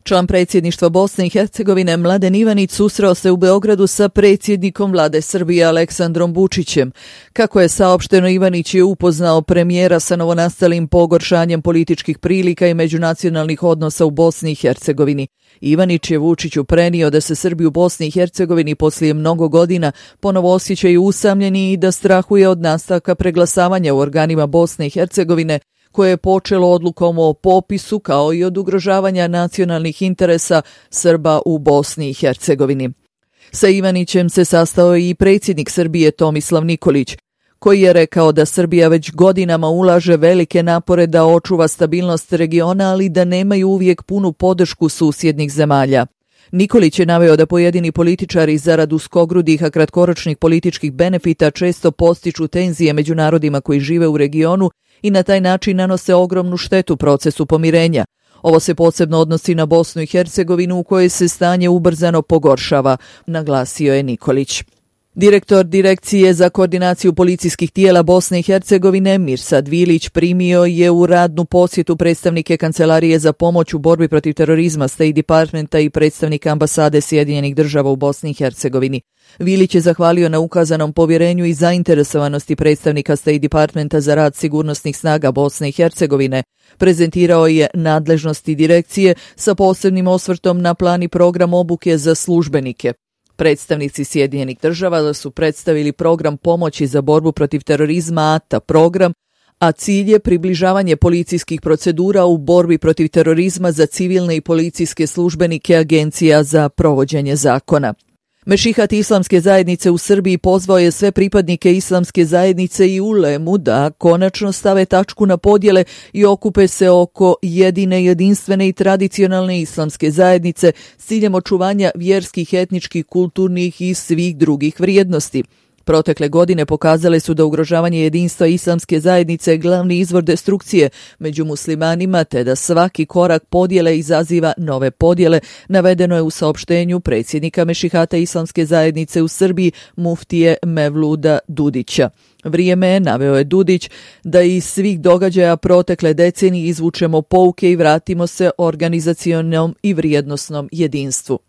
Član predsjedništva Bosne i Hercegovine Mladen Ivanić susreo se u Beogradu sa predsjednikom vlade Srbije Aleksandrom Vučićem. Kako je saopšteno, Ivanić je upoznao premijera sa novonastalim pogoršanjem političkih prilika i međunacionalnih odnosa u Bosni i Hercegovini. Ivanić je Vučiću prenio da se Srbi u Bosni i Hercegovini poslije mnogo godina ponovo osjećaju usamljeni i da strahuje od nastavka preglasavanja u organima Bosne i Hercegovine, koje je počelo odlukom o popisu, kao i od ugrožavanja nacionalnih interesa Srba u Bosni i Hercegovini. Sa Ivanićem se sastao i predsjednik Srbije Tomislav Nikolić, koji je rekao da Srbija već godinama ulaže velike napore da očuva stabilnost regiona, ali da nemaju uvijek punu podršku susjednih zemalja. Nikolić je naveo da pojedini političari zarad uskogrudih, a kratkoročnih političkih benefita često postiču tenzije među narodima koji žive u regionu i na taj način nanose ogromnu štetu procesu pomirenja. Ovo se posebno odnosi na Bosnu i Hercegovinu, u kojoj se stanje ubrzano pogoršava, naglasio je Nikolić. Direktor Direkcije za koordinaciju policijskih tijela Bosne i Hercegovine Mirsad Vilić primio je u radnu posjetu predstavnike Kancelarije za pomoć u borbi protiv terorizma State Departmenta i predstavnika ambasade Sjedinjenih država u Bosni i Hercegovini. Vilić je zahvalio na ukazanom povjerenju i zainteresovanosti predstavnika State Departmenta za rad sigurnosnih snaga Bosne i Hercegovine. Prezentirao je nadležnosti direkcije sa posebnim osvrtom na plan i program obuke za službenike. Predstavnici Sjedinjenih država su predstavili program pomoći za borbu protiv terorizma ATA program, a cilj je približavanje policijskih procedura u borbi protiv terorizma za civilne i policijske službenike Agencija za provođenje zakona. Mešihat Islamske zajednice u Srbiji pozvao je sve pripadnike Islamske zajednice i ulemu da konačno stave tačku na podjele i okupe se oko jedine, jedinstvene i tradicionalne islamske zajednice s ciljem očuvanja vjerskih, etničkih, kulturnih i svih drugih vrijednosti. Protekle godine pokazale su da ugrožavanje jedinstva islamske zajednice je glavni izvor destrukcije među muslimanima, te da svaki korak podjele izaziva nove podjele, navedeno je u saopštenju predsjednika Mešihata Islamske zajednice u Srbiji muftije Mevluda Dudića. Vrijeme je, naveo je Dudić, da iz svih događaja protekle decenije izvučemo pouke i vratimo se organizacionom i vrijednosnom jedinstvu.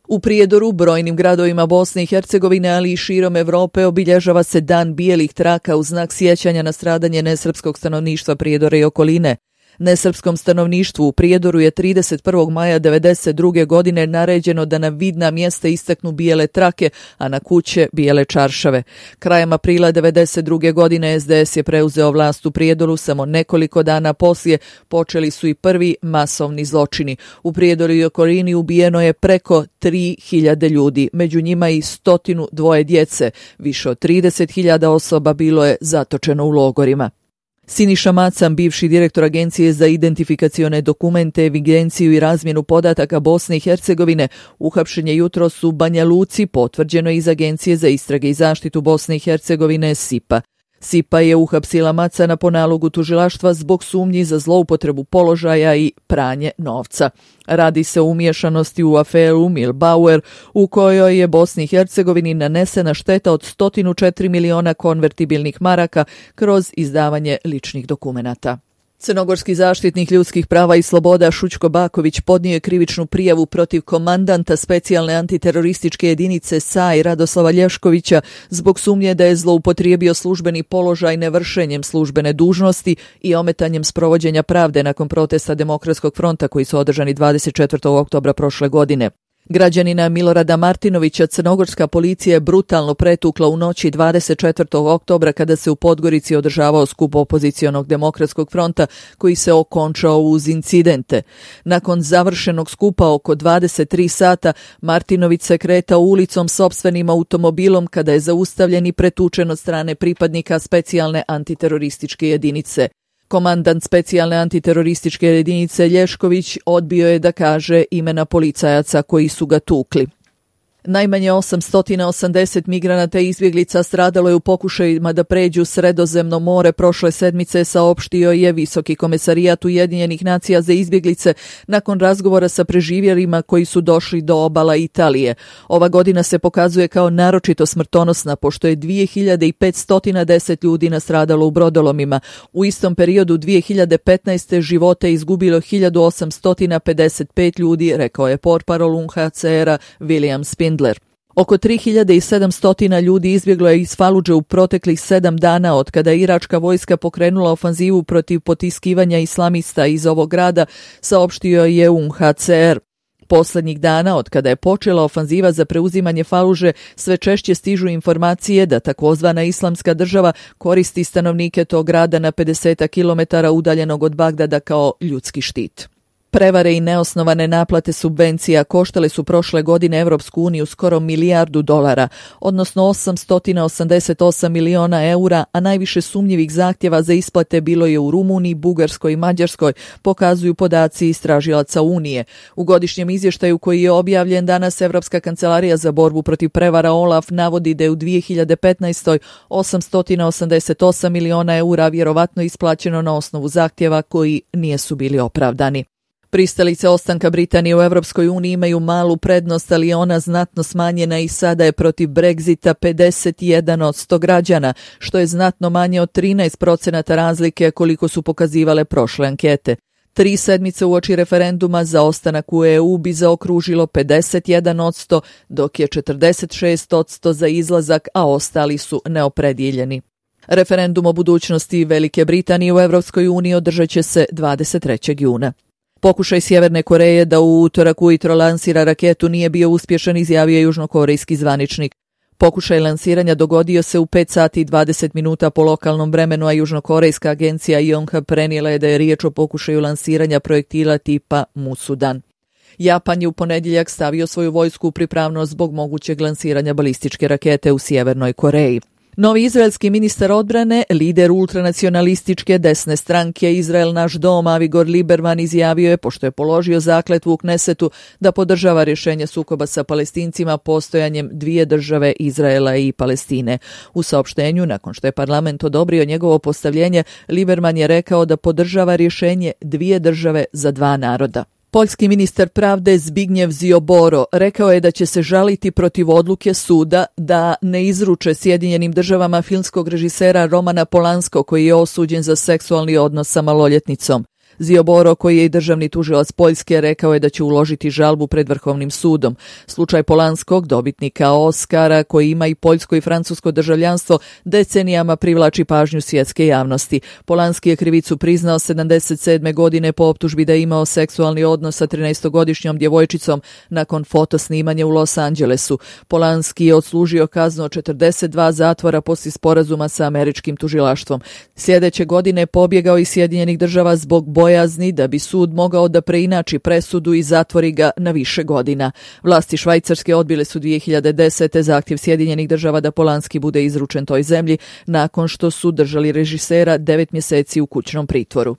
U Prijedoru, brojnim gradovima Bosne i Hercegovine, ali i širom Europe, obilježava se Dan bijelih traka u znak sjećanja na stradanje nesrpskog stanovništva Prijedora i okoline. Nesrpskom stanovništvu u Prijedoru je 31. maja 1992. godine naređeno da na vidna mjesta istaknu bijele trake, a na kuće bijele čaršave. Krajem aprila 1992. godine SDS je preuzeo vlast u Prijedoru, samo nekoliko dana poslije počeli su i prvi masovni zločini. U Prijedoru i okolini ubijeno je preko 3.000 ljudi, među njima i 102 djece. Više od 30.000 osoba bilo je zatočeno u logorima. Siniša Macan, bivši direktor Agencije za identifikacione dokumente, evidenciju i razmjenu podataka Bosne i Hercegovine, uhapšen je jutros u Banja Luci, potvrđeno iz Agencije za istrage i zaštitu Bosne i Hercegovine SIPA. SIPA je uhapsila Macana po nalogu tužilaštva zbog sumnji za zloupotrebu položaja i pranje novca. Radi se o umiješanosti u aferu Milbauer, u kojoj je Bosni i Hercegovini nanesena šteta od 104 miliona konvertibilnih maraka kroz izdavanje ličnih dokumenata. Crnogorski zaštitnik ljudskih prava i sloboda Šućko Baković podnio je krivičnu prijavu protiv komandanta specijalne antiterorističke jedinice SAI Radoslava Lješkovića zbog sumnje da je zloupotrijebio službeni položaj nevršenjem službene dužnosti i ometanjem sprovođenja pravde nakon protesta Demokratskog fronta koji su održani 24. oktobra prošle godine. Građanina Milorada Martinovića crnogorska policija je brutalno pretukla u noći 24. oktobra kada se u Podgorici održavao skup opozicionog Demokratskog fronta koji se okončao uz incidente. Nakon završenog skupa oko 23 sata Martinović se kretao ulicom sopstvenim automobilom kada je zaustavljen i pretučen od strane pripadnika specijalne antiterorističke jedinice. Komandant specijalne antiterorističke jedinice Lješković odbio je da kaže imena policajaca koji su ga tukli. Najmanje 880 migranata i izbjeglica stradalo je u pokušajima da pređu Sredozemno more prošle sedmice, saopštio je Visoki komesarijat Ujedinjenih nacija za izbjeglice nakon razgovora sa preživjelima koji su došli do obala Italije. Ova godina se pokazuje kao naročito smrtonosna, pošto je 2510 ljudi nastradalo u brodolomima. U istom periodu 2015. živote izgubilo 1855 ljudi, rekao je portparol UNHCR-a William Spindler. Oko 3700 ljudi izbjeglo je iz Faludže u proteklih 7 dana od kada je iračka vojska pokrenula ofanzivu protiv potiskivanja islamista iz ovog grada, saopštio je UNHCR. Posljednjih dana, od kada je počela ofanziva za preuzimanje Faludže, sve češće stižu informacije da takozvana islamska država koristi stanovnike tog grada na 50 km udaljenog od Bagdada kao ljudski štit. Prevare i neosnovane naplate subvencija koštale su prošle godine Evropsku uniju skoro $1 milijardu, odnosno 888 miliona eura, a najviše sumnjivih zahtjeva za isplate bilo je u Rumuniji, Bugarskoj i Mađarskoj, pokazuju podaci istražilaca Unije. U godišnjem izvještaju koji je objavljen danas, Evropska kancelarija za borbu protiv prevara OLAF navodi da je u 2015. 888 miliona eura vjerovatno isplaćeno na osnovu zahtjeva koji nisu bili opravdani. Pristalice ostanka Britanije u Europskoj uniji imaju malu prednost, ali je ona znatno smanjena i sada je protiv Brexita 51% građana, što je znatno manje od 13% razlike koliko su pokazivale prošle ankete. 3 sedmice uoči referenduma za ostanak u EU bi zaokružilo 51%, dok je 46% za izlazak, a ostali su neopredijeljeni. Referendum o budućnosti Velike Britanije u Europskoj uniji održat će se 23. juna. Pokušaj Sjeverne Koreje da u utorak ujutro lansira raketu nije bio uspješan, izjavio je južnokorejski zvaničnik. Pokušaj lansiranja dogodio se u 5 sati i 20 minuta po lokalnom vremenu, a južnokorejska agencija Yonhap prenijela je da je riječ o pokušaju lansiranja projektila tipa Musudan. Japan je u ponedjeljak stavio svoju vojsku u pripravnost zbog mogućeg lansiranja balističke rakete u Sjevernoj Koreji. Novi izraelski ministar odbrane, lider ultranacionalističke desne stranke Izrael naš dom, Avigor Lieberman, izjavio je, pošto je položio zakletvu u Knesetu, da podržava rješenje sukoba sa Palestincima postojanjem 2 države, Izraela i Palestine. U saopštenju, nakon što je parlament odobrio njegovo postavljenje, Lieberman je rekao da podržava rješenje 2 države za 2 naroda. Poljski ministar pravde Zbigniew Ziobro rekao je da će se žaliti protiv odluke suda da ne izruče Sjedinjenim državama filmskog režisera Romana Polanskog, koji je osuđen za seksualni odnos sa maloljetnicom. Ziobro, koji je i državni tužilac Poljske, rekao je da će uložiti žalbu pred Vrhovnim sudom. Slučaj Polanskog, dobitnika Oscara, koji ima i poljsko i francusko državljanstvo, decenijama privlači pažnju svjetske javnosti. Polanski je krivicu priznao 77. godine po optužbi da je imao seksualni odnos sa 13-godišnjom djevojčicom nakon fotosnimanja u Los Angelesu. Polanski je odslužio kaznu od 42 zatvora poslije sporazuma sa američkim tužilaštvom. Sljedeće godine pobjegao iz Sjedinjenih država zbog bojazni da bi sud mogao da preinači presudu i zatvori ga na više godina. Vlasti Švajcarske odbile su 2010. zahtjev Sjedinjenih država da Polanski bude izručen toj zemlji nakon što su držali režisera 9 mjeseci u kućnom pritvoru.